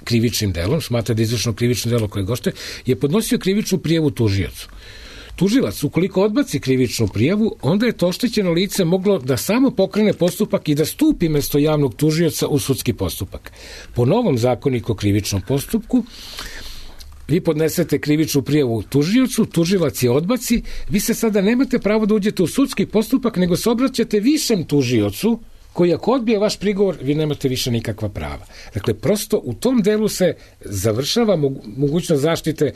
krivičnim delom, smatra da je izvršeno krivično delo koje gošte, je podnosio krivičnu prijavu tužiocu. Tužilac, ukoliko odbaci krivičnu prijavu, onda je to oštećeno lice moglo da samo pokrene postupak i da stupi mesto javnog tužioca u sudski postupak. Po novom zakoniku o krivičnom postupku, vi podnesete krivičnu prijavu tužiocu, tužilac je odbaci, vi se sada nemate pravo da uđete u sudski postupak, nego se obraćate višem tužiocu, koji ako odbije vaš prigovor, vi nemate više nikakva prava. Dakle, prosto u tom delu se završava mogućnost zaštite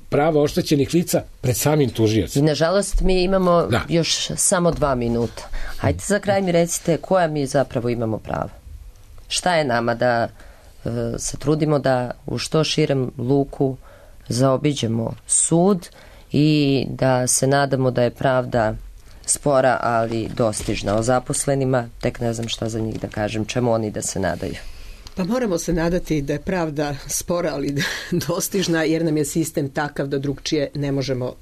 prava oštećenih lica pred samim tužiocem. I nažalost mi imamo da. još samo dva minuta. Hajde za kraj mi recite koja mi zapravo imamo prava. Šta je nama da se trudimo da u što širem luku zaobiđemo sud i da se nadamo da je pravda spora, ali dostižna. O zaposlenima tek ne znam šta za njih da kažem, čemu oni da se nadaju. Pa moramo se nadati da je pravda spora, ali dostižna, jer nam je sistem takav da drugčije ne možemo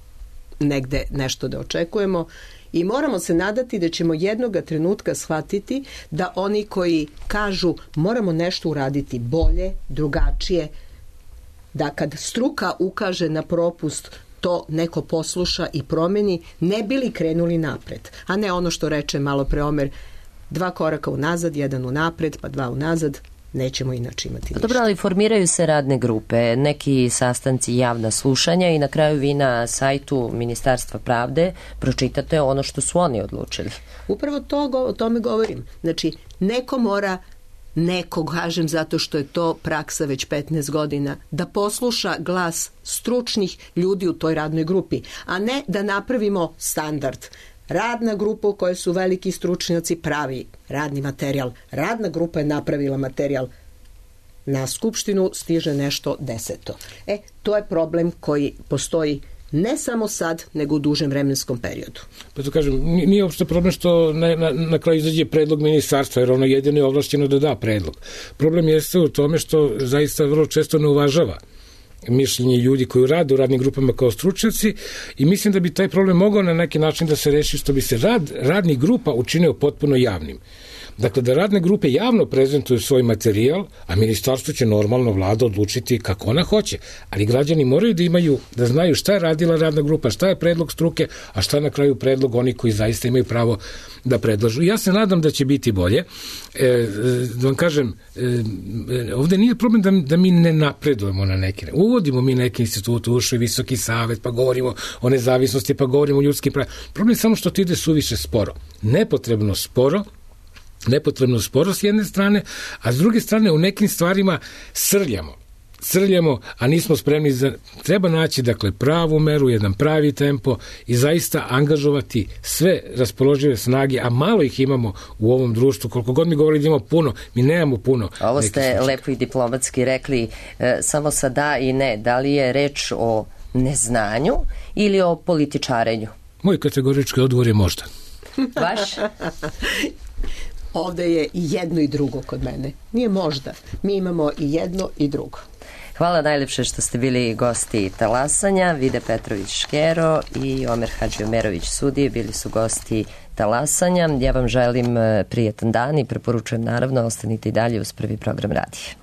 negde nešto da očekujemo. I moramo se nadati da ćemo jednoga trenutka shvatiti da oni koji kažu moramo nešto uraditi bolje, drugačije, da kad struka ukaže na propust, to neko posluša i promeni, ne bili krenuli napred. A ne ono što reče malo pre Omer, dva koraka unazad, jedan unapred, pa dva unazad, nećemo inače imati ništa. Dobro, ali formiraju se radne grupe, neki sastanci, javna slušanja i na kraju vi na sajtu Ministarstva pravde pročitate ono što su oni odlučili. Upravo to, o tome govorim. Znači, neko mora, neko kažem zato što je to praksa već petnaest godina, da posluša glas stručnih ljudi u toj radnoj grupi, a ne da napravimo standard. Radna grupa u kojoj su veliki stručnjaci pravi radni materijal. Radna grupa je napravila materijal. Na skupštinu stiže nešto deseto. E, to je problem koji postoji ne samo sad, nego u dužem vremenskom periodu. Pa to kažem, nije uopšte problem što na, na, na kraju izađe predlog ministarstva, jer ono jedino je ovlašćeno da da predlog. Problem jeste u tome što zaista vrlo često ne uvažava mišljenje ljudi koji rade u radnim grupama kao stručnjaci i mislim da bi taj problem mogao na neki način da se reši što bi se rad radnih grupa učinio potpuno javnim. Dakle, da radne grupe javno prezentuju svoj materijal, a ministarstvo će normalno vlada odlučiti kako ona hoće. Ali građani moraju da imaju, da znaju šta je radila radna grupa, šta je predlog struke, a šta na kraju predlog oni koji zaista imaju pravo da predlažu. Ja se nadam da će biti bolje. E, da vam kažem, e, ovde nije problem da, da mi ne napredujemo na neki. Uvodimo mi neke institute, ušao i Visoki savet, pa govorimo o nezavisnosti, pa govorimo o ljudskim pravima. Problem je samo što to ide suviše sporo. Nepotrebno sporo, nepotrebno sporo s jedne strane, a s druge strane u nekim stvarima srljamo. Srljamo, a nismo spremni za... Treba naći, dakle, pravu meru, jedan pravi tempo i zaista angažovati sve raspoložive snage, a malo ih imamo u ovom društvu. Koliko god mi govorili da imamo puno, mi nemamo puno. Ovo ste lepo i diplomatski rekli, e, samo sa da i ne. Da li je reč o neznanju ili o političarenju? Moj kategorički odgovor je možda. Vaš? Ovde je i jedno i drugo kod mene. Nije možda. Mi imamo i jedno i drugo. Hvala najlepše što ste bili gosti Talasanja. Vide Petrović-Škero i Omer Hadžiomerović-Sudije bili su gosti Talasanja. Ja vam želim prijetan dan i preporučujem naravno ostanite i dalje uz Prvi program radija.